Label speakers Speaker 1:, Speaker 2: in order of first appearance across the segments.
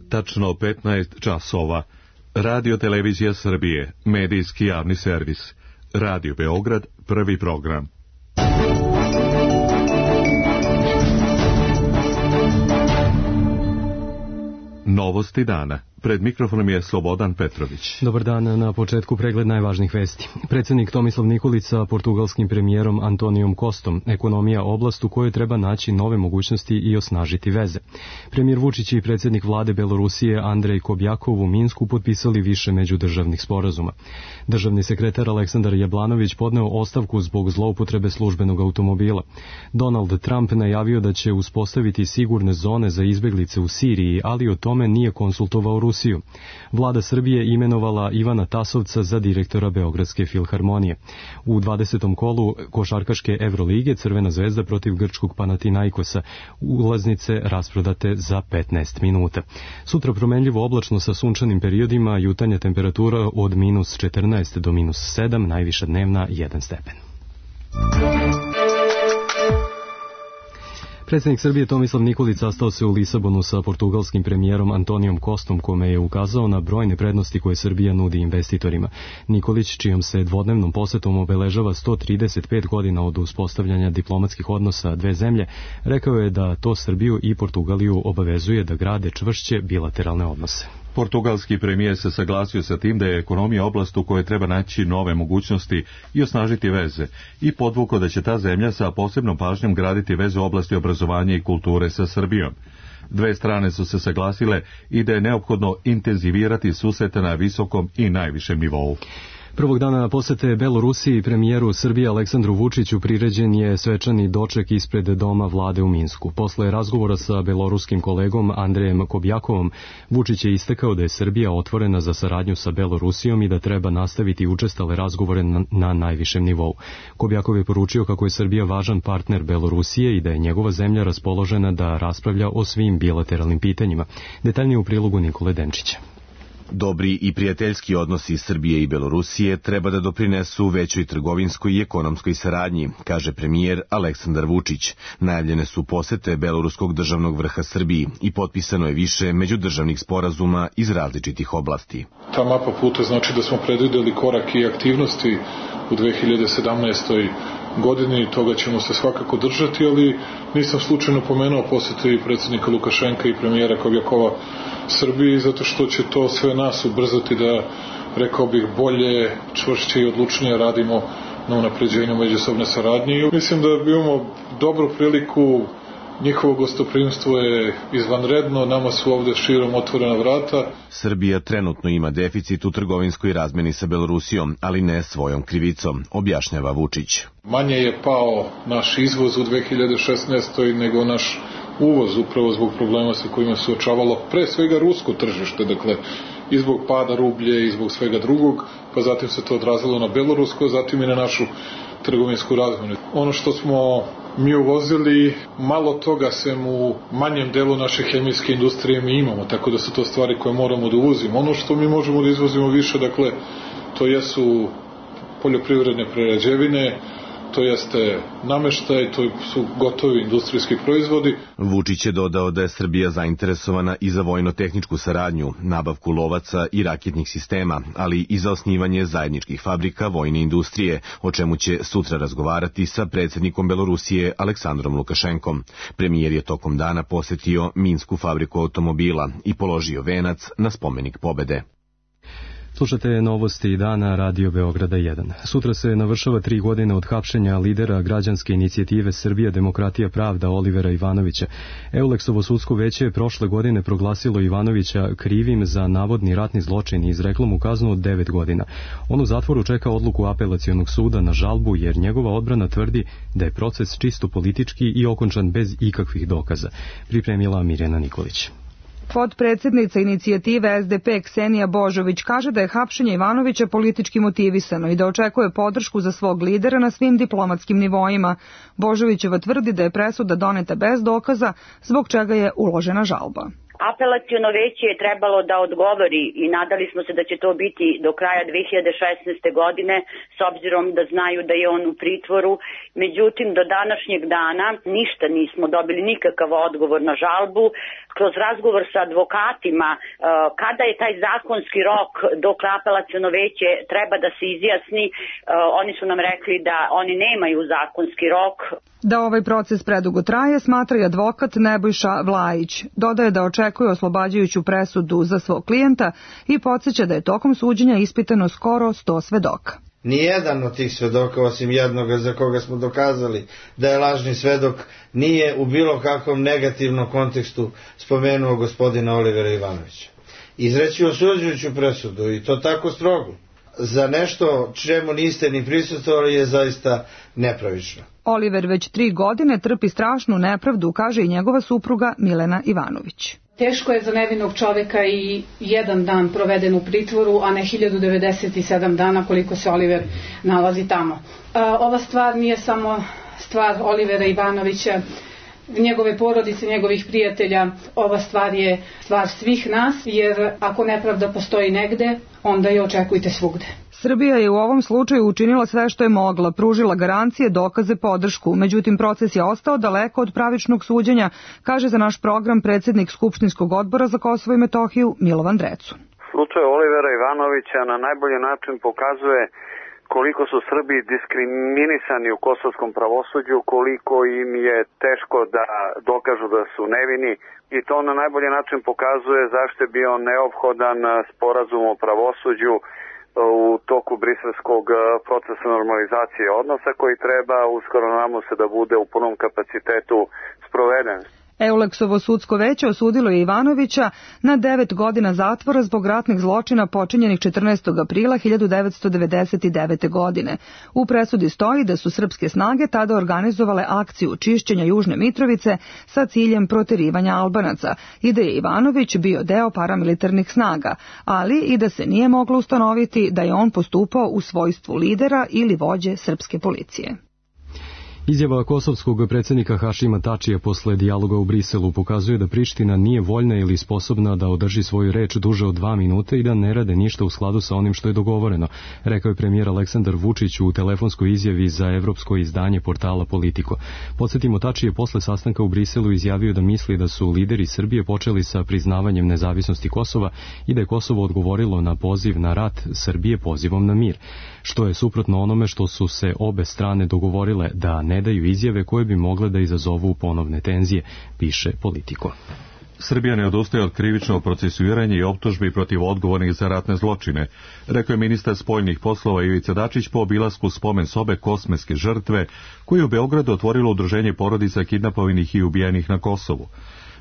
Speaker 1: tačno 15 časova. Radio Televizija Srbije, medijski javni servis. Radio Beograd, prvi program. Novosti dana. Pred mikrofonom je Slobodan Petrović.
Speaker 2: Dobar dan, na početku pregled najvažnijih vesti. Predsjednik Tomislav Nikolić sa portugalskim premijerom Antonijom Costom, ekonomija oblast u kojoj treba naći nove mogućnosti i osnažiti veze. Premijer Vučić i predsjednik vlade Belorusije Andrej Kobjakov u Minsku potpisali više međudržavnih sporazuma. Državni sekretar Aleksandar Jablanović podneo ostavku zbog zloupotrebe službenog automobila. Donald Trump najavio da će uspostaviti sigurne zone za izbjeglice u Siriji, ali o tome nije konsultovao Rusiju. Vlada Srbije imenovala Ivana Tasovca za direktora Beogradske filharmonije. U 20. kolu košarkaške Evrolige Crvena zvezda protiv grčkog Panathinaikosa, ulaznice rasprodate za 15 minuta. Sutra promenljivo oblačno sa sunčanim periodima, jutanja temperatura od minus 14 do minus 7, najviša dnevna 1 stepen. Predsjednik Srbije Tomislav Nikolić sastao se u Lisabonu sa portugalskim premijerom Antonijom Costom, kome je ukazao na brojne prednosti koje Srbija nudi investitorima. Nikolić, čijom se dvodnevnom posetom obeležava 135 godina od uspostavljanja diplomatskih odnosa dve zemlje, rekao je da to Srbiju i Portugaliju obavezuje da grade čvršće bilateralne odnose.
Speaker 1: Portugalski premijer se saglasio sa tim da je ekonomija oblast u kojoj treba naći nove mogućnosti i osnažiti veze i podvukao da će ta zemlja sa posebnom pažnjom graditi veze u oblasti obrazovanja i kulture sa Srbijom. Dve strane su se saglasile i da je neophodno intenzivirati susrete na visokom i najvišem nivou.
Speaker 2: Prvog dana posete Belorusiji premijeru Srbije Aleksandru Vučiću priređen je svečani doček ispred doma vlade u Minsku. Posle razgovora sa beloruskim kolegom Andrejem Kobjakovom, Vučić je istakao da je Srbija otvorena za saradnju sa Belorusijom i da treba nastaviti učestale razgovore na najvišem nivou. Kobjakov je poručio kako je Srbija važan partner Belorusije i da je njegova zemlja raspoložena da raspravlja o svim bilateralnim pitanjima. Detaljnije u prilogu Nikole Denčića.
Speaker 3: Dobri i prijateljski odnosi Srbije i Belorusije treba da doprinesu većoj trgovinskoj i ekonomskoj saradnji, kaže premijer Aleksandar Vučić. Najavljene su posete beloruskog državnog vrha Srbiji i potpisano je više međudržavnih sporazuma iz različitih oblasti.
Speaker 4: Ta mapa puta znači da smo predvideli korak i aktivnosti u 2017. godini, toga ćemo se svakako držati, ali nisam slučajno pomenuo posete i predsjednika Lukašenka i premijera Kobjakova Srbiji, zato što će to sve nas ubrzati da, rekao bih, bolje, čvršće i odlučnije radimo na unapređenju međusobne saradnje. Mislim da imamo dobru priliku, njihovo gostoprimstvo je izvanredno, nama su ovde širom otvorena vrata.
Speaker 3: Srbija trenutno ima deficit u trgovinskoj razmeni sa Belorusijom, ali ne svojom krivicom, objašnjava Vučić.
Speaker 4: Manje je pao naš izvoz u 2016. nego naš uvoz, upravo zbog problema sa kojima se suočavalo pre svega rusko tržište, dakle i zbog pada rublje i zbog svega drugog, pa zatim se to odrazilo na belorusko, zatim i na našu trgovinsku razmenu. Ono što smo mi uvozili, malo toga sem u manjem delu naše hemijske industrije mi imamo, tako da su to stvari koje moramo da uvozimo. Ono što mi možemo da izvozimo više, dakle, to jesu poljoprivredne prerađevine, to jeste nameštaj, to su gotovi industrijski proizvodi.
Speaker 3: Vučić je dodao da je Srbija zainteresovana i za vojno-tehničku saradnju, nabavku lovaca i raketnih sistema, ali i za osnivanje zajedničkih fabrika vojne industrije, o čemu će sutra razgovarati sa predsjednikom Belorusije Aleksandrom Lukašenkom. Premijer je tokom dana posetio Minsku fabriku automobila i položio venac na spomenik pobede.
Speaker 2: Slušate novosti dana Radio Beograda 1. Sutra se navršava 3 godine od hapšenja lidera građanske inicijative Srbija demokratija pravda Olivera Ivanovića. Euleksovo sudsko veće je prošle godine proglasilo Ivanovića krivim za navodni ratni zločin i izreklo mu kaznu od 9 godina. On u zatvoru čeka odluku apelacionog suda na žalbu jer njegova odbrana tvrdi da je proces čisto politički i okončan bez ikakvih dokaza. Pripremila Mirjana Nikolić.
Speaker 5: Potpredsjednica inicijative SDP Ksenija Božović kaže da je hapšenje Ivanovića politički motivisano i da očekuje podršku za svog lidera na svim diplomatskim nivoima. Božovićeva tvrdi da je presuda doneta bez dokaza, zbog čega je uložena žalba.
Speaker 6: Apelaciono veće je trebalo da odgovori i nadali smo se da će to biti do kraja 2016. godine, s obzirom da znaju da je on u pritvoru. Međutim, do današnjeg dana ništa nismo dobili, nikakav odgovor na žalbu. kroz razgovor sa advokatima kada je taj zakonski rok dok apelaciono veće treba da se izjasni. Oni su nam rekli da oni nemaju zakonski rok.
Speaker 5: Da ovaj proces predugo traje, smatra i advokat Nebojša Vlajić. Dodaje da očekuje oslobađajuću presudu za svog klijenta i podsjeća da je tokom suđenja ispitano skoro 100 svedoka.
Speaker 7: Nijedan od tih svedoka, osim jednoga za koga smo dokazali da je lažni svedok, nije u bilo kakvom negativnom kontekstu spomenuo gospodina Olivera Ivanovića. Izreći osuđujuću presudu, i to tako strogo, za nešto čemu niste ni prisustvovali je zaista nepravično.
Speaker 5: Oliver već 3 godine trpi strašnu nepravdu, kaže i njegova supruga Milena Ivanović.
Speaker 8: Teško je za nevinog čoveka i 1 dan proveden u pritvoru, a ne 1097 dana koliko se Oliver nalazi tamo. Ova stvar nije samo stvar Olivera Ivanovića, njegove porodice, njegovih prijatelja. Ova stvar je stvar svih nas, jer ako nepravda postoji negde, onda je očekujte svugde.
Speaker 5: Srbija je u ovom slučaju učinila sve što je mogla, pružila garancije, dokaze, podršku. Međutim, proces je ostao daleko od pravičnog suđenja, kaže za naš program predsjednik Skupštinskog odbora za Kosovo i Metohiju Milovan Drecun.
Speaker 9: Slučaj Olivera Ivanovića na najbolji način pokazuje koliko su Srbi diskriminisani u kosovskom pravosuđu, koliko im je teško da dokažu da su nevini, i to na najbolji način pokazuje zašto je bio neophodan sporazum o pravosuđu u toku briselskog procesa normalizacije odnosa, koji treba, uskoro nadamo se, da bude u punom kapacitetu sproveden.
Speaker 5: Euleksovo sudsko veće osudilo je Ivanovića na 9 godina zatvora zbog ratnih zločina počinjenih 14. aprila 1999. godine. U presudi stoji da su srpske snage tada organizovale akciju čišćenja Južne Mitrovice sa ciljem proterivanja Albanaca i da je Ivanović bio deo paramilitarnih snaga, ali i da se nije moglo ustanoviti da je on postupao u svojstvu lidera ili vođe srpske policije.
Speaker 2: Izjava kosovskog predsjednika Hašima Tačija posle dijaloga u Briselu pokazuje da Priština nije voljna ili sposobna da održi svoju reč duže od 2 minute i da ne rade ništa u skladu sa onim što je dogovoreno, rekao je premijer Aleksandar Vučić u telefonskoj izjavi za evropsko izdanje portala Politico. Podsjetimo, Tači je posle sastanka u Briselu izjavio da misli da su lideri Srbije počeli sa priznavanjem nezavisnosti Kosova i da je Kosovo odgovorilo na poziv na rat Srbije pozivom na mir, što je suprotno onome što su se obe strane dogovorile, da ne daju izjave koje bi mogle da izazovu ponovne tenzije, piše Politico.
Speaker 1: Srbija ne odustaje od krivičnog procesuiranja i optužbi protiv odgovornih za ratne zločine, rekao je ministar spoljnih poslova Ivica Dačić po obilasku spomen sobe kosmetske žrtve koju je u Beogradu otvorilo udruženje porodica kidnapovanih i ubijenih na Kosovu.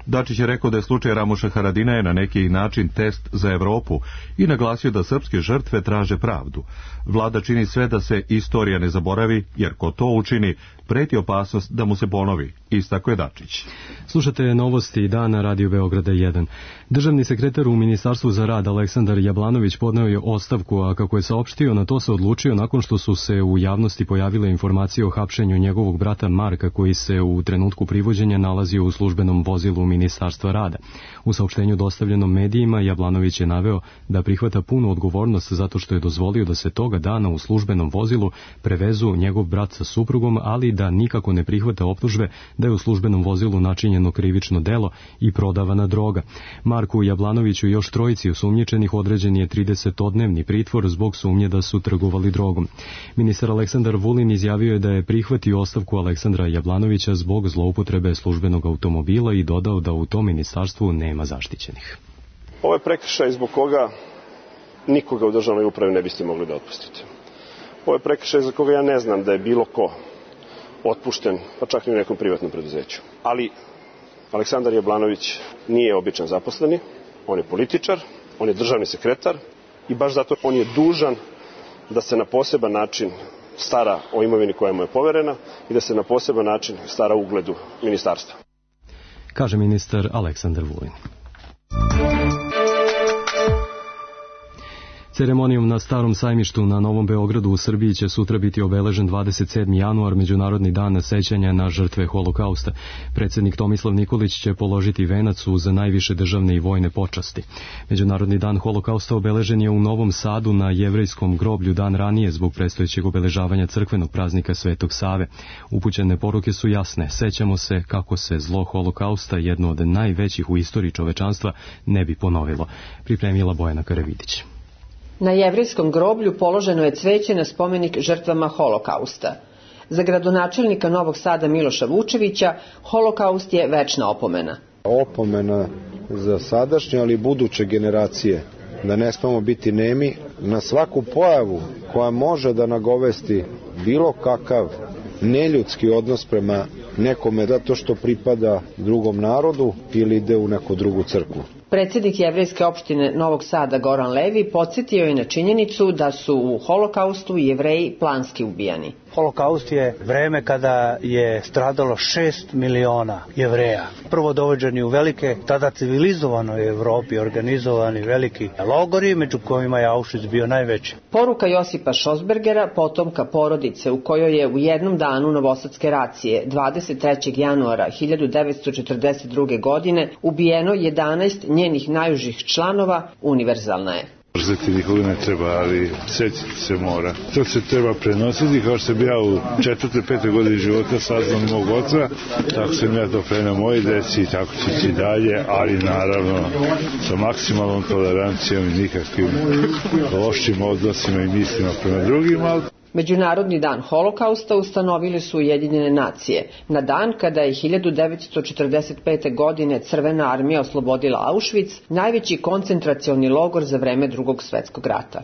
Speaker 1: Dačić je rekao da je slučaj Ramuša Haradinaja na neki način test za Evropu i naglasio da srpske žrtve traže pravdu. Vlada čini sve da se istorija ne zaboravi, jer ko to učini, preti opasnost da mu se ponovi, istakao je Dačić.
Speaker 2: Slušate novosti dana Radio Beograda 1. Državni sekretar u Ministarstvu za rad Aleksandar Jablanović podneo je ostavku, a kako je saopštio, na to se odlučio nakon što su se u javnosti pojavile informacije o hapšenju njegovog brata Marka, koji se u trenutku privođenja nalazio u službenom vozilu Ministarstva rada. U saopštenju dostavljenom medijima Jablanović je naveo da prihvata punu odgovornost zato što je dozvolio da se toga dana u službenom vozilu prevezu njegov brat sa suprugom, ali da nikako ne prihvata optužbe da je u službenom vozilu načinjeno krivično delo i prodavana droga. Marku Jablanoviću i još 3 osumnjičenih određen je 30-dnevni pritvor zbog sumnje da su trgovali drogom. Ministar Aleksandar Vulin izjavio je da je prihvatio ostavku Aleksandra Jablanovića zbog zloupotrebe službenog automobila i dodao da u tom ministarstvu nema zaštićenih.
Speaker 10: Ovo je prekršaj zbog koga nikoga u državnoj upravi ne biste mogli da otpustite. Ovo je prekršaj za koga ja ne znam da je bilo ko otpušten, pa čak i u nekom privatnom preduzeću. Ali Aleksandar Jablanović nije običan zaposleni, on je političar, on je državni sekretar i baš zato on je dužan da se na poseban način stara o imovini koja mu je poverena i da se na poseban način stara o ugledu ministarstva.
Speaker 2: Kaže ministar Aleksandar Vulin. Ceremonijom na Starom sajmištu na Novom Beogradu u Srbiji će sutra biti obeležen 27. januar, Međunarodni dan sećanja na žrtve Holokausta. Predsjednik Tomislav Nikolić će položiti venac uz najviše državne i vojne počasti. Međunarodni dan Holokausta obeležen je u Novom Sadu na Jevrejskom groblju dan ranije zbog predstojećeg obeležavanja crkvenog praznika Svetog Save. Upućene poruke su jasne. Sećamo se kako se zlo Holokausta, jedno od najvećih u istoriji čovečanstva, ne bi ponovilo. Pripremila Bojana Karavidić.
Speaker 11: Na Jevrejskom groblju položeno je cveće na spomenik žrtvama Holokausta. Za gradonačelnika Novog Sada Miloša Vučevića, Holokaust je večna opomena.
Speaker 12: Opomena za sadašnje, ali i buduće generacije, da ne smemo biti nemi na svaku pojavu koja može da nagovesti bilo kakav neljudski odnos prema nekome zato što pripada drugom narodu ili ide u neku drugu crkvu.
Speaker 11: Predsjednik Jevrejske opštine Novog Sada Goran Levi podsjetio je na činjenicu da su u Holokaustu Jevreji planski ubijani.
Speaker 13: Holokaust je vreme kada je stradalo 6 miliona Jevreja. Prvo dovođeni u velike, tada civilizovanoj Evropi organizovani veliki logori, među kojima je Auschwitz bio najveći.
Speaker 11: Poruka Josipa Šosbergera, potomka porodice u kojoj je u jednom danu novosadske racije 23. januara 1942. godine ubijeno 11 njenih najužih članova, univerzalna je.
Speaker 14: Mrzeti nikoga ne treba, ali sjetiti se mora. To se treba prenositi, kao što sam ja u 4. 5. godini života saznao mog oca, tako sam ja to preneo moji deci i tako će ići dalje, ali naravno sa maksimalnom tolerancijom i nikakvim lošim odnosima i mislima prema drugima.
Speaker 11: Međunarodni dan Holokausta ustanovili su Ujedinjene nacije, na dan kada je 1945. godine Crvena armija oslobodila Auschwitz, najveći koncentracioni logor za vreme Drugog svjetskog rata.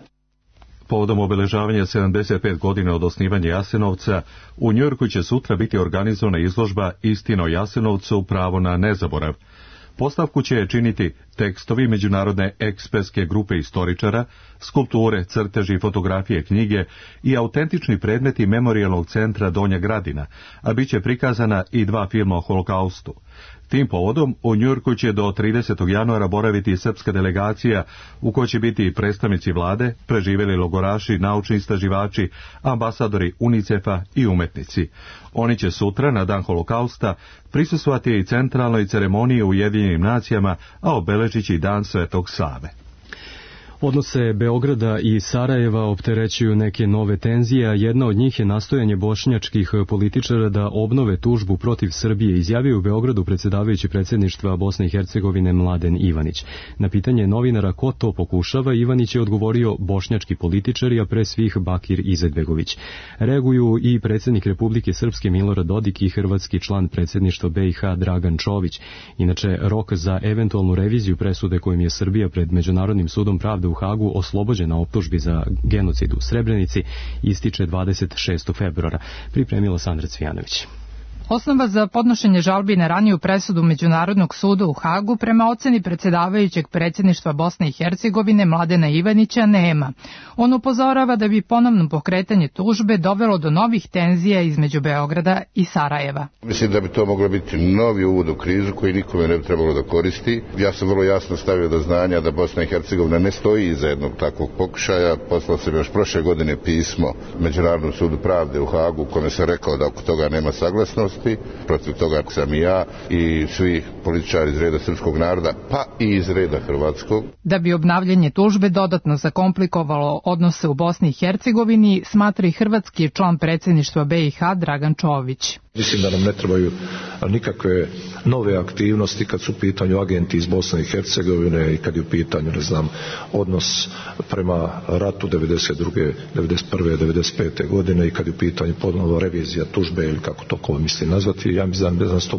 Speaker 1: Povodom obeležavanja 75 godina od osnivanja Jasenovca, u Njujorku će sutra biti organizovana izložba Istina o Jasenovcu, pravo na nezaborav. Postavku će činiti tekstovi međunarodne ekspertske grupe istoričara, skulpture, crteži, fotografije, knjige i autentični predmeti Memorijalnog centra Donja Gradina, a bit će prikazana i 2 filma o Holokaustu. Tim povodom u Njujorku će do 30. januara boraviti srpska delegacija u kojoj će biti predstavnici vlade, preživjeli logoraši, naučni istraživači, ambasadori UNICEF-a i umetnici. Oni će sutra, na dan Holokausta, prisustvovati i centralnoj ceremoniji u Ujedinjenim nacijama, a obeležići dan Svetog Save.
Speaker 2: Odnose Beograda i Sarajeva opterećuju neke nove tenzije, a jedna od njih je nastojanje bošnjačkih političara da obnove tužbu protiv Srbije, izjavio u Beogradu predsjedavajući predsjedništva Bosne i Hercegovine Mladen Ivanić. Na pitanje novinara ko to pokušava, Ivanić je odgovorio bošnjački političari, a pre svih Bakir Izetbegović. Reaguju i predsjednik Republike Srpske Milorad Dodik i hrvatski član predsjedništva BiH Dragan Čović. Inače, rok za eventualnu reviziju presude kojim je Srbija pred Međunarodnim sudom pravde u Hagu oslobođena optužbi za genocid u Srebrenici ističe 26. februara. Pripremila Sandra Cvijanović.
Speaker 15: Osnova za podnošenje žalbi na raniju presudu Međunarodnog suda u Hagu prema oceni predsjedavajućeg predsjedništva Bosne i Hercegovine Mladena Ivanića nema. On upozorava da bi ponovno pokretanje tužbe dovelo do novih tenzija između Beograda i Sarajeva.
Speaker 16: Mislim da bi to moglo biti novi uvod u krizu koji nikome ne bi trebalo da koristi. Ja sam vrlo jasno stavio do znanja da Bosna i Hercegovina ne stoji iza jednog takvog pokušaja. Poslao sam još prošle godine pismo Međunarodnom sudu pravde u Hagu kome sam rekao da oko toga nema saglasnosti. Protiv toga sam i ja i svi političari iz reda srpskog naroda, pa i iz reda hrvatskog.
Speaker 15: Da bi obnavljanje tužbe dodatno zakomplikovalo odnose u Bosni i Hercegovini, smatra i hrvatski član predsjedništva BiH Dragan Čović.
Speaker 17: Mislim da nam ne trebaju nikakve nove aktivnosti kad su u pitanju agenti iz Bosne i Hercegovine i kad je u pitanju, odnos prema ratu 92. 91. 95. godine i kad je u pitanju ponovno revizija tužbe ili kako to ko misli nazvati. Ja mislim da nas to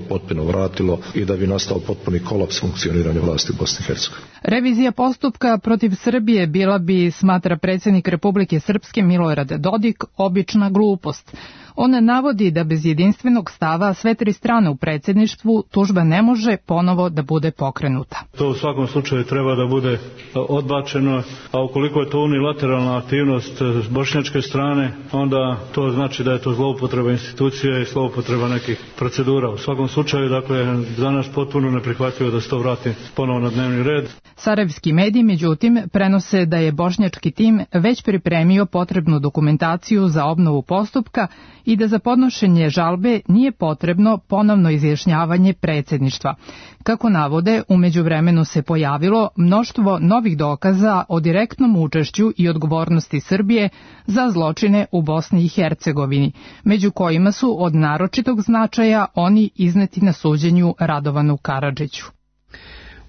Speaker 17: potpuno vratilo i da bi nastao potpuni kolaps funkcioniranja vlasti u Bosni i Hercegovini.
Speaker 15: Revizija postupka protiv Srbije bila bi, smatra predsjednik Republike Srpske Milorad Dodik, obična glupost. On navodi da bez jedinstvenog stava sve tri strane u predsjedništvu tužba ne može ponovo da bude pokrenuta.
Speaker 18: To u svakom slučaju treba da bude odbačeno, a ukoliko je to unilateralna aktivnost s bošnjačke strane, onda to znači da je to zloupotreba institucija i zloupotreba nekih procedura. U svakom slučaju, dakle, za nas potpuno neprihvatljivo da se to vrati ponovo na dnevni red.
Speaker 15: Sarajevski mediji, međutim, prenose da je bošnjački tim već pripremio potrebnu dokumentaciju za obnovu postupka i da za podnošenje žalbe nije potrebno ponovno izjašnjavanje predsjedništva. Kako navode, u međuvremenu se pojavilo mnoštvo novih dokaza o direktnom učešću i odgovornosti Srbije za zločine u Bosni i Hercegovini, među kojima su od naročitog značaja oni izneti na suđenju Radovanu Karadžiću.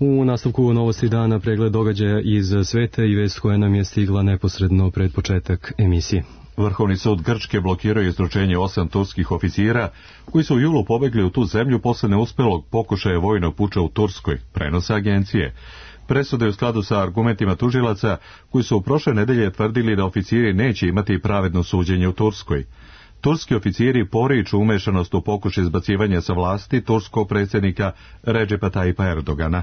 Speaker 2: U nastavku novosti dana pregled događaja iz sveta i vest koja nam je stigla neposredno pred početak emisije.
Speaker 1: Vrhovni sud Grčke blokirao izručenje 8 turskih oficira koji su u julu pobegli u tu zemlju posle neuspelog pokušaja vojnog puča u Turskoj, prenose agencije. Presuda je u skladu sa argumentima tužilaca koji su u prošle nedelje tvrdili da oficiri neće imati pravedno suđenje u Turskoj. Turski oficiri poriču umešanost u pokušaj izbacivanja sa vlasti turskog predsjednika Redžepa Tajipa Erdogana.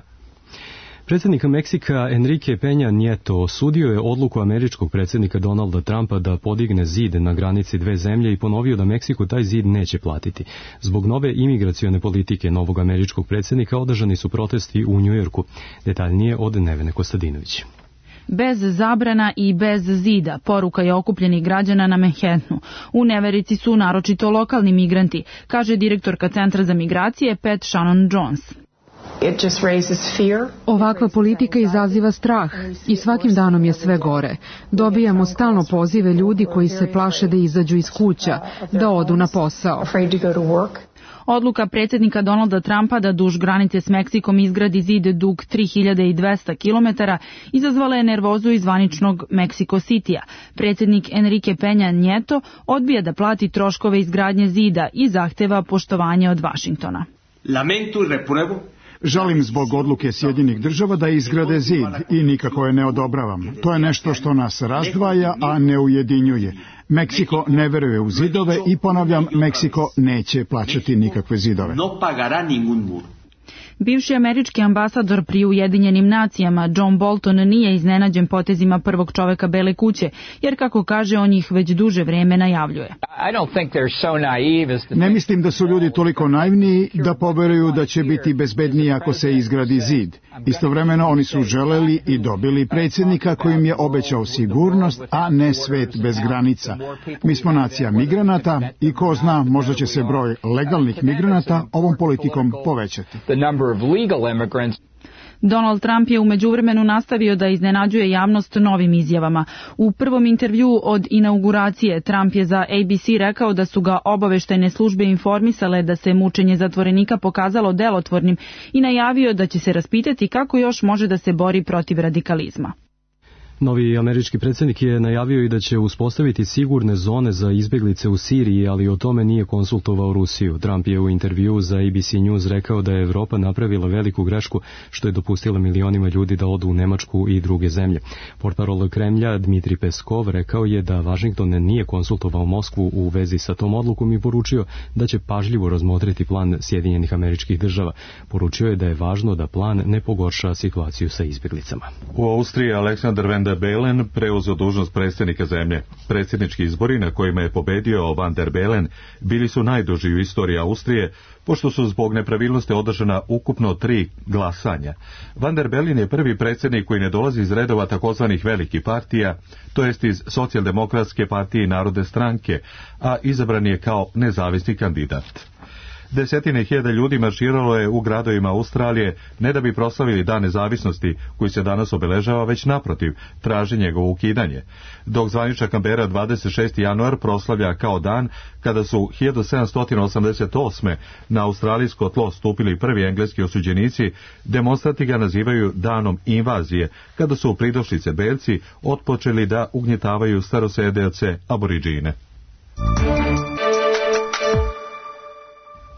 Speaker 2: Predsjednik Meksika Enrique Peña Nieto osudio je odluku američkog predsjednika Donalda Trumpa da podigne zid na granici dve zemlje i ponovio da Meksiko taj zid neće platiti. Zbog nove imigracione politike novog američkog predsjednika održani su protesti u Njujorku. Detaljnije od Nevene Kostadinović.
Speaker 19: Bez zabrana i bez zida, poruka je okupljenih građana na Manhattanu. U neverici su naročito lokalni migranti, kaže direktorka Centra za migracije Pat Shannon Jones.
Speaker 20: Ovakva politika izaziva strah i svakim danom je sve gore. Dobijamo stalno pozive ljudi koji se plaše da izađu iz kuća, da odu na posao.
Speaker 19: Odluka predsjednika Donalda Trumpa da duž granice s Meksikom izgradi zid dug 3200 km izazvala je nervozu iz zvaničnog Mexico City-a. Predsjednik Enrique Peña Nieto odbija da plati troškove izgradnje zida i zahteva poštovanje od Vašingtona.
Speaker 21: Žalim zbog odluke Sjedinjenih Država da izgrade zid i nikako je ne odobravam. To je nešto što nas razdvaja, a ne ujedinjuje. Meksiko ne veruje u zidove i ponavljam, Meksiko neće plaćati nikakve zidove.
Speaker 19: Bivši američki ambasador pri Ujedinjenim nacijama John Bolton nije iznenađen potezima prvog čoveka Bele kuće, jer kako kaže on ih već duže vrijeme najavljuje.
Speaker 21: Ne mislim da su ljudi toliko naivni da poveruju da će biti bezbednije ako se izgradi zid. Istovremeno oni su želeli i dobili predsjednika kojim je obećao sigurnost, a ne svet bez granica. Mi smo nacija migranata i ko zna, možda će se broj legalnih migranata ovom politikom povećati.
Speaker 19: Donald Trump je u međuvremenu nastavio da iznenađuje javnost novim izjavama. U prvom intervjuu od inauguracije Trump je za ABC rekao da su ga obaveštajne službe informisale da se mučenje zatvorenika pokazalo delotvornim i najavio da će se raspitati kako još može da se bori protiv radikalizma.
Speaker 2: Novi američki predsjednik je najavio i da će uspostaviti sigurne zone za izbjeglice u Siriji, ali o tome nije konsultovao Rusiju. Trump je u intervjuu za ABC News rekao da je Evropa napravila veliku grešku što je dopustila milionima ljudi da odu u Nemačku i druge zemlje. Portparol Kremlja Dmitri Peskov rekao je da Vašington nije konsultovao Moskvu u vezi sa tom odlukom i poručio da će pažljivo razmotriti plan Sjedinjenih Američkih Država. Poručio je da je važno da plan ne pogorša situaciju sa izbjeglicama.
Speaker 1: U Austriji Aleksandar Van der Bellen preuzeo dužnost predsjednika zemlje. Predsjednički izbori na kojima je pobedio Van der Bellen bili su najduži u istoriji Austrije, pošto su zbog nepravilnosti održana ukupno 3 glasanja. Van der Bellen je prvi predsjednik koji ne dolazi iz redova takozvanih velikih partija, to jest iz Socijaldemokratske partije i Narodne stranke, a izabran je kao nezavisni kandidat. Desetine hiljada ljudi marširalo je u gradovima Australije ne da bi proslavili Dan nezavisnosti koji se danas obeležava, već naprotiv, traži njegovo ukidanje. Dok zvanična Kambera 26. januar proslavlja kao dan kada su 1788. na australijsko tlo stupili prvi engleski osuđenici, demonstranti ga nazivaju danom invazije, kada su pridošlice belci otpočeli da ugnjetavaju starosedeoce aboriđine.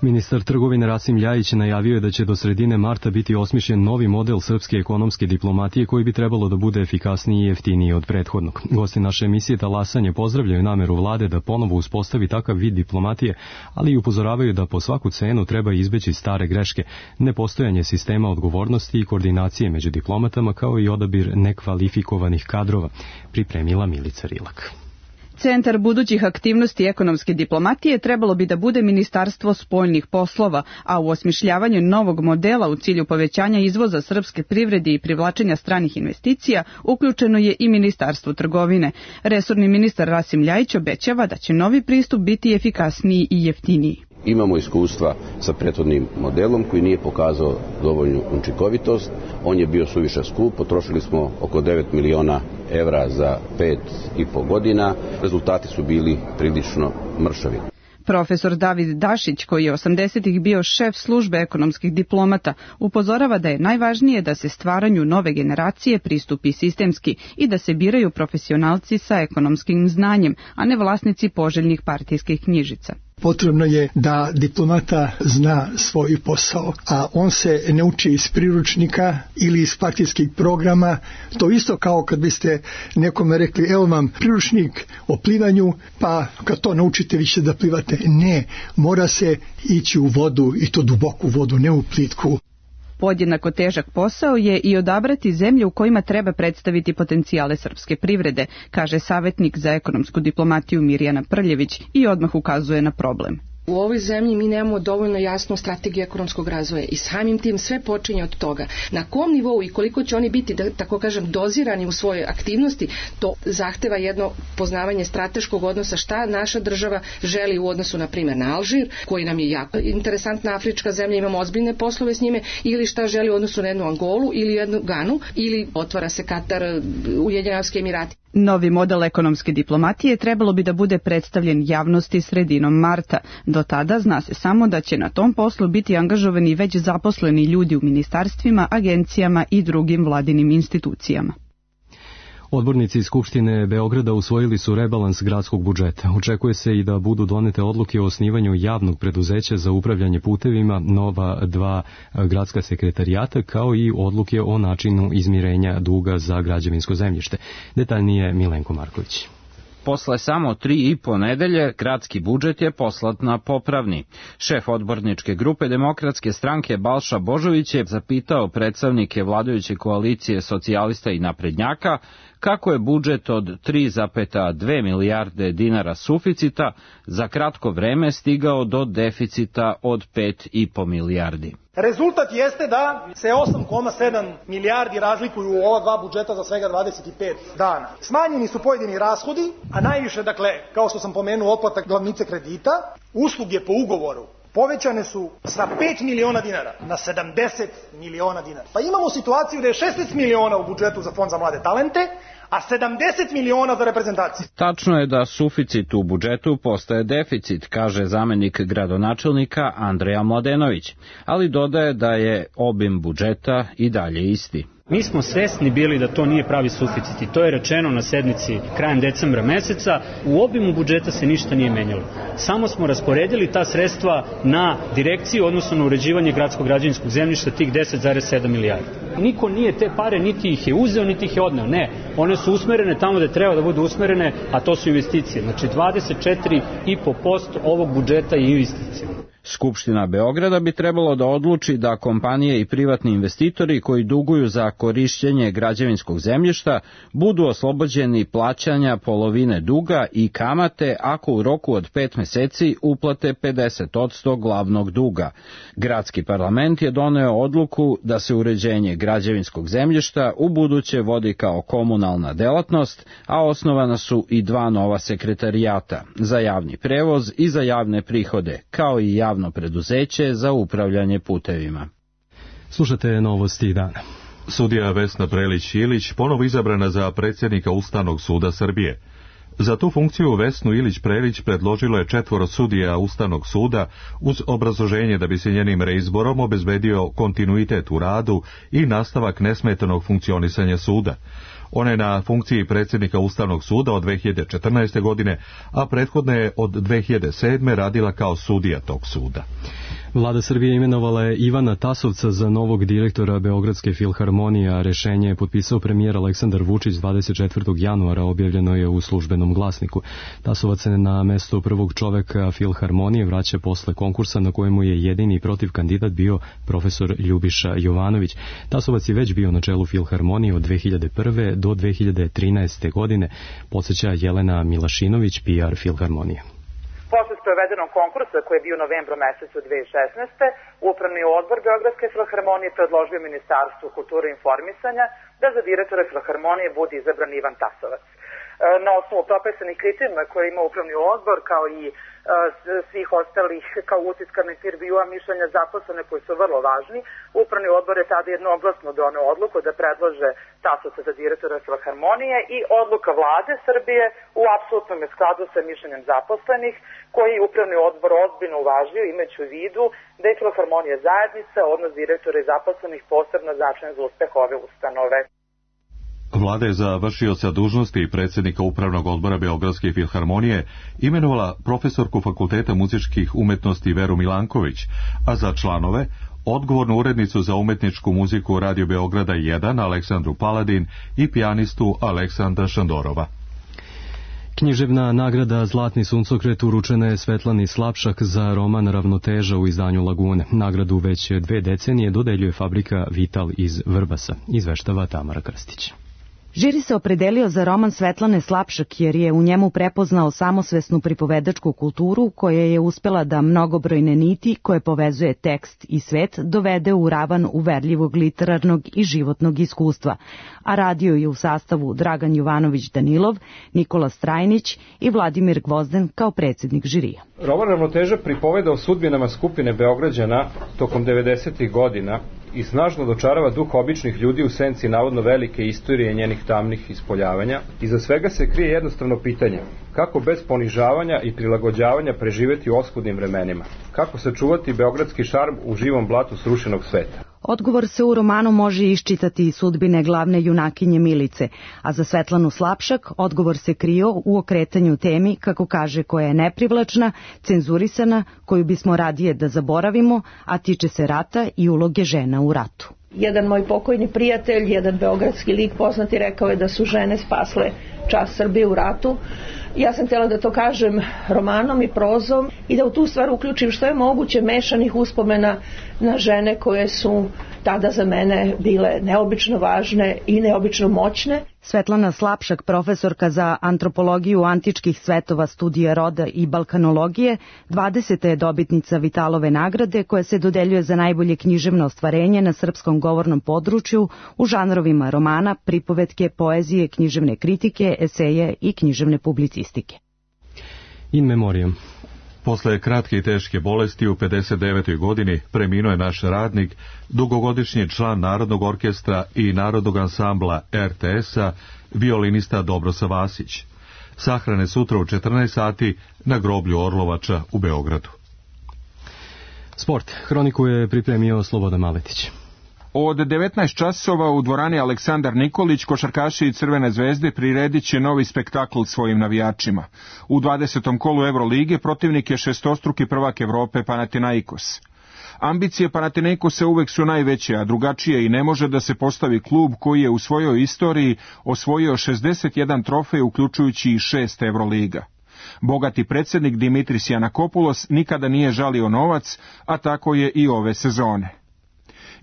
Speaker 2: Ministar trgovine Rasim Ljajić najavio je da će do sredine marta biti osmišljen novi model srpske ekonomske diplomatije koji bi trebalo da bude efikasniji i jeftiniji od prethodnog. Gosti naše emisije Talasanje pozdravljaju nameru vlade da ponovo uspostavi takav vid diplomatije, ali i upozoravaju da po svaku cenu treba izbeći stare greške, nepostojanje sistema odgovornosti i koordinacije među diplomatama kao i odabir nekvalifikovanih kadrova, pripremila Milica Rilak.
Speaker 4: Centar budućih aktivnosti ekonomske diplomatije trebalo bi da bude Ministarstvo spoljnih poslova, a u osmišljavanju novog modela u cilju povećanja izvoza srpske privrede i privlačenja stranih investicija uključeno je i Ministarstvo trgovine. Resorni ministar Rasim Ljajić obećava da će novi pristup biti efikasniji i jeftiniji.
Speaker 22: Imamo iskustva sa prethodnim modelom koji nije pokazao dovoljnu učinkovitost. On je bio suviše skup, potrošili smo oko 9 miliona evra za 5,5 godina. Rezultati su bili prilično mršavi.
Speaker 4: Profesor David Dašić, koji je 80-ih bio šef službe ekonomskih diplomata, upozorava da je najvažnije da se stvaranju nove generacije pristupi sistemski i da se biraju profesionalci sa ekonomskim znanjem, a ne vlasnici poželjnih partijskih knjižica.
Speaker 23: Potrebno je da diplomata zna svoj posao, a on se ne uči iz priručnika ili iz partijskih programa. To isto kao kad biste nekome rekli, evo vam priručnik o plivanju, pa kad to naučite vi ćete da plivate. Ne, mora se ići u vodu i to duboku vodu, ne u plitku.
Speaker 4: Podjednako težak posao je i odabrati zemlje u kojima treba predstaviti potencijale srpske privrede, kaže savjetnik za ekonomsku diplomatiju Mirjana Prljević i odmah ukazuje na problem.
Speaker 24: U ovoj zemlji mi nemamo dovoljno jasnu strategiju ekonomskog razvoja i samim tim sve počinje od toga. Na kom nivou i koliko će oni biti, da tako kažem, dozirani u svojoj aktivnosti, to zahteva jedno poznavanje strateškog odnosa šta naša država želi u odnosu, na primjer, na Alžir, koji nam je jako interesantna afrička zemlja, imamo ozbiljne poslove s njime, ili šta želi u odnosu na jednu Angolu ili jednu Ganu, ili otvara se Katar, Ujedinjeni Arapski Emirati.
Speaker 4: Novi model ekonomske diplomatije trebalo bi da bude predstavljen javnosti sredinom marta. Do tada zna se samo da će na tom poslu biti angažovani već zaposleni ljudi u ministarstvima, agencijama i drugim vladinim institucijama.
Speaker 2: Odbornici iz Skupštine Beograda usvojili su rebalans gradskog budžeta. Očekuje se i da budu donete odluke o osnivanju javnog preduzeća za upravljanje putevima, nova 2 gradska sekretarijata, kao i odluke o načinu izmirenja duga za građevinsko zemljište. Detaljnije Milenko Marković.
Speaker 25: Posle samo 3,5 nedelje, gradski budžet je poslat na popravni. Šef odborničke grupe Demokratske stranke Balša Božović je zapitao predstavnike vladajuće koalicije socijalista i naprednjaka kako je budžet od 3,2 milijarde dinara suficita za kratko vreme stigao do deficita od 5,5 milijardi.
Speaker 26: Rezultat jeste da se 8,7 milijardi razlikuju u ova dva budžeta za svega 25 dana. Smanjeni su pojedini rashodi, a najviše, dakle, kao što sam pomenuo, otplata glavnice kredita, usluge po ugovoru povećane su sa 5 miliona dinara na 70 miliona dinara. Pa imamo situaciju da je 16 miliona u budžetu za Fond za mlade talente, a 70 miliona za reprezentaciju.
Speaker 25: Tačno je da suficit u budžetu postaje deficit, kaže zamenik gradonačelnika Andreja Mladenović, ali dodaje da je obim budžeta i dalje isti.
Speaker 27: Mi smo svesni bili da to nije pravi suficit i to je rečeno na sednici krajem decembra meseca. U obimu budžeta se ništa nije menjalo. Samo smo rasporedili ta sredstva na direkciju, odnosno na uređivanje gradskog građevinskog zemljišta, tih 10,7 milijardi. Niko nije te pare, niti ih je uzeo, niti ih je odneo. Ne, one su usmerene tamo gde treba da budu usmerene, a to su investicije. Znači 24,5% ovog budžeta je investicija.
Speaker 25: Skupština Beograda bi trebalo da odluči da kompanije i privatni investitori koji duguju za korišćenje građevinskog zemljišta budu oslobođeni plaćanja polovine duga i kamate ako u roku od 5 meseci uplate 50% glavnog duga. Gradski parlament je doneo odluku da se uređenje građevinskog zemljišta u buduće vodi kao komunalna delatnost, a osnovana su i 2 nova sekretarijata za javni prevoz i za javne prihode, kao i javno preduzeće za upravljanje putevima.
Speaker 2: Slušate novosti dana.
Speaker 1: Sudija Vesna Prelić-Ilić ponovo izabrana za predsjednika Ustavnog suda Srbije. Za tu funkciju Vesnu Ilić-Prelić predložilo je 4 sudija Ustavnog suda uz obrazloženje da bi se njenim reizborom obezbedio kontinuitet u radu i nastavak nesmetanog funkcionisanja suda. Ona je na funkciji predsjednika Ustavnog suda od 2014. godine, a prethodno je od 2007. radila kao sudija tog suda.
Speaker 2: Vlada Srbije imenovala je Ivana Tasovca za novog direktora Beogradske filharmonije, a rešenje je potpisao premijer Aleksandar Vučić 24. januara, objavljeno je u Službenom glasniku. Tasovac se na mesto prvog čoveka filharmonije vraća posle konkursa na kojemu je jedini protiv kandidat bio profesor Ljubiša Jovanović. Tasovac je već bio na čelu filharmonije od 2001. do 2013. godine, podsjeća Jelena Milašinović, PR filharmonije.
Speaker 3: Posle sprovedenog konkursa koji je bio u novembru mesecu 2016. Upravni odbor Beogradske filharmonije predložio Ministarstvu kulture i informisanja da za direktora filharmonije bude izabran Ivan Tasovac. Na osnovu propisanih kriterijuma koje ima upravni odbor, kao i svih ostalih, kao utiska na intervjua, mišljenja zaposlene koji su vrlo važni, upravni odbor je tada jednoglasno doneo odluku da predlože Tasovca za direktora filharmonije i odluka vlade Srbije u apsolutnom je skladu sa mišljenjem zaposlenih, koji upravni odbor ozbiljno uvažio, imajući u vidu da je filharmonija zajednica, odnos direktora i zaposlenih posebno značajan za uspeh ove ustanove.
Speaker 1: Vlada je za vršioca dužnosti predsjednika Upravnog odbora Beogradske filharmonije imenovala profesorku Fakulteta muzičkih umetnosti Veru Milanković, a za članove odgovornu urednicu za umetničku muziku Radio Beograda 1 Aleksandru Paladin i pijanistu Aleksandra Šandorova.
Speaker 2: Književna nagrada Zlatni suncokret uručena je Svetlani Slapšak za roman Ravnoteža u izdanju Lagune. Nagradu već 2 decenije dodeljuje fabrika Vital iz Vrbasa, izveštava Tamara Krstić.
Speaker 5: Žiri se opredelio za roman Svetlane Slapšak jer je u njemu prepoznao samosvesnu pripovedačku kulturu koja je uspela da mnogobrojne niti koje povezuje tekst i svet dovede u ravan uverljivog literarnog i životnog iskustva, a radio je u sastavu Dragan Jovanović Danilov, Nikola Strajnić i Vladimir Gvozden kao predsjednik žirija.
Speaker 6: Roman Ravnoteža pripoveda o sudbinama skupine Beograđana tokom 90. godina i snažno dočarava duh običnih ljudi u senci navodno velike istorije njenih tamnih ispoljavanja. Iza svega se krije jednostavno pitanje: kako bez ponižavanja i prilagođavanja preživeti u oskudnim vremenima? Kako sačuvati beogradski šarm u živom blatu srušenog sveta?
Speaker 5: Odgovor se u romanu može iščitati iz sudbine glavne junakinje Milice, a za Svetlanu Slapšak odgovor se krio u okretanju temi, kako kaže, koja je neprivlačna, cenzurisana, koju bismo radije da zaboravimo, a tiče se rata i uloge žena u ratu.
Speaker 7: Jedan moj pokojni prijatelj, jedan beogradski lik poznati, rekao je da su žene spasle čast Srbije u ratu. Ja sam htjela da to kažem romanom i prozom i da u tu stvar uključim što je moguće mešanih uspomena na žene koje su tada za mene bile neobično važne i neobično moćne.
Speaker 5: Svetlana Slapšak, profesorka za antropologiju antičkih svetova, studija roda i balkanologije, 20. je dobitnica Vitalove nagrade koja se dodeljuje za najbolje književno ostvarenje na srpskom govornom području u žanrovima romana, pripovetke, poezije, književne kritike, eseje i književne publicistike.
Speaker 2: In memoriam.
Speaker 1: Posle kratke i teške bolesti u 59. godini preminuo je naš radnik, dugogodišnji član Narodnog orkestra i Narodnog ansambla RTS-a, violinista Dobrosa Vasić. Sahrane sutra u 14 sati na groblju Orlovača u Beogradu.
Speaker 2: Sport. Hroniku je pripremio Slobodan Maletić.
Speaker 8: Od 19 časova u dvorani Aleksandar Nikolić košarkaši i Crvene zvezde priredit će novi spektakl svojim navijačima. U 20. kolu Evrolige protivnik je šestostruki prvak Evrope Panathinaikos. Ambicije Panathinaikosa uvek su najveće, a drugačije i ne može da se postavi klub koji je u svojoj istoriji osvojio 61 trofej, uključujući i 6 Evroliga. Bogati predsjednik Dimitris Janakopoulos nikada nije žalio novac, a tako je i ove sezone.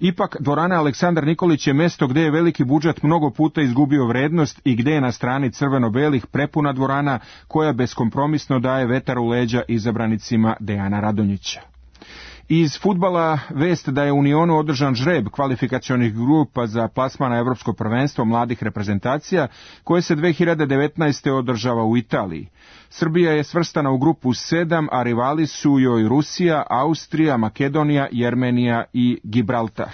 Speaker 8: Ipak, dvorana Aleksandar Nikolić je mesto gde je veliki budžet mnogo puta izgubio vrednost i gde je na strani crveno-belih prepuna dvorana koja beskompromisno daje vetar u leđa izabranicima Dejana Radonjića. Iz fudbala vest da je u Unionu održan žreb kvalifikacionih grupa za plasman na Evropsko prvenstvo mladih reprezentacija koje se 2019. održava u Italiji. Srbija je svrstana u grupu 7, a rivali su joj Rusija, Austrija, Makedonija, Jermenija i Gibraltar.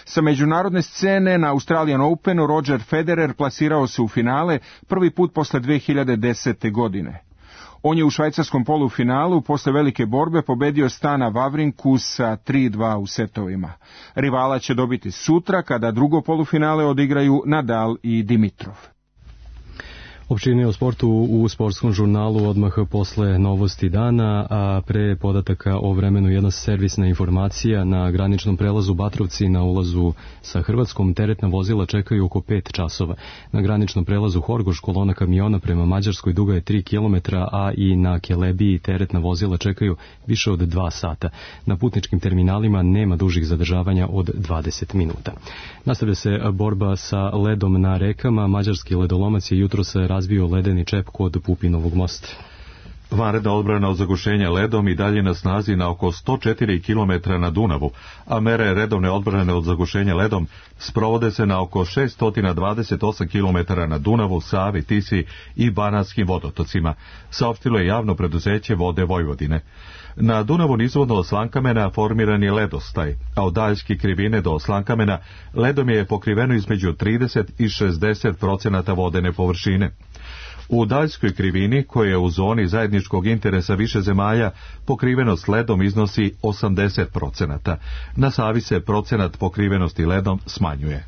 Speaker 8: Sa međunarodne scene na Australian Openu Roger Federer plasirao se u finale prvi put posle 2010. godine. On je u švajcarskom polufinalu posle velike borbe pobedio Stana Vavrinku sa 3-2 u setovima. Rivala će dobiti sutra kada drugo polufinale odigraju Nadal i Dimitrov.
Speaker 2: Opširnije o sportu u sportskom žurnalu odmah posle novosti dana, a pre podataka o vremenu jedna servisna informacija. Na graničnom prelazu Batrovci na ulazu sa Hrvatskom teretna vozila čekaju oko 5 časova. Na graničnom prelazu Horgoš kolona kamiona prema Mađarskoj duga je 3 km, a i na Kelebiji teretna vozila čekaju više od 2 sata. Na putničkim terminalima nema dužih zadržavanja od 20 minuta. Nastavlja se borba sa ledom na rekama. Mađarski ledolomac je jutros razbio ledeni čep kod Pupinovog mosta.
Speaker 1: Vanredna odbrana od zagušenja ledom i dalje na snazi na oko 104 km na Dunavu, a mere redovne odbrane od zagušenja ledom sprovode se na oko 628 km na Dunavu, Savi, Tisi i Banatskim vodotocima, saopštilo je javno preduzeće Vode Vojvodine. Na Dunavu nizvodno od Slankamena formiran je ledostaj, a od Daljske krivine do Slankamena ledom je pokriveno između 30 i 60% vodene površine. U Daljskoj krivini, koja je u zoni zajedničkog interesa više zemalja, pokrivenost ledom iznosi 80%. Na Savi se procenat pokrivenosti ledom smanjuje.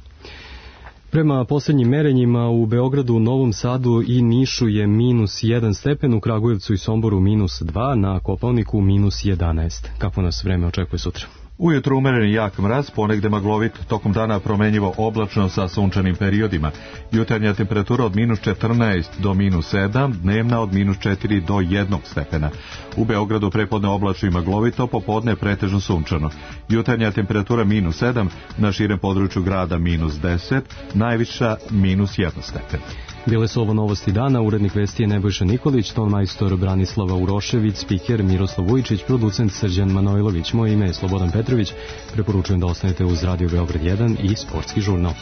Speaker 2: Prema posljednjim merenjima u Beogradu, Novom Sadu i Nišu je -1 stepen, u Kragujevcu i Somboru -2, na Kopaoniku -11. Kako nas vreme očekuje sutra?
Speaker 1: Ujutro umeren jak mraz, ponegde maglovit, tokom dana promenjivo oblačno sa sunčanim periodima. Jutarnja temperatura od -14 do -7, dnevna od -4 do 1 stepena. U Beogradu prepodne oblačno i maglovito, popodne pretežno sunčano. Jutarnja temperatura -7, na širem području grada -10, najviša -1 stepen.
Speaker 2: Bile su ovo novosti dana, urednik vesti je Nebojša Nikolić, ton majstor Branislava Urošević, spiker Miroslav Vujičić, producent Srđan Manojlović. Moje ime je Slobodan Petrović, preporučujem da ostanete uz Radio Beograd 1 i Sportski žurnal.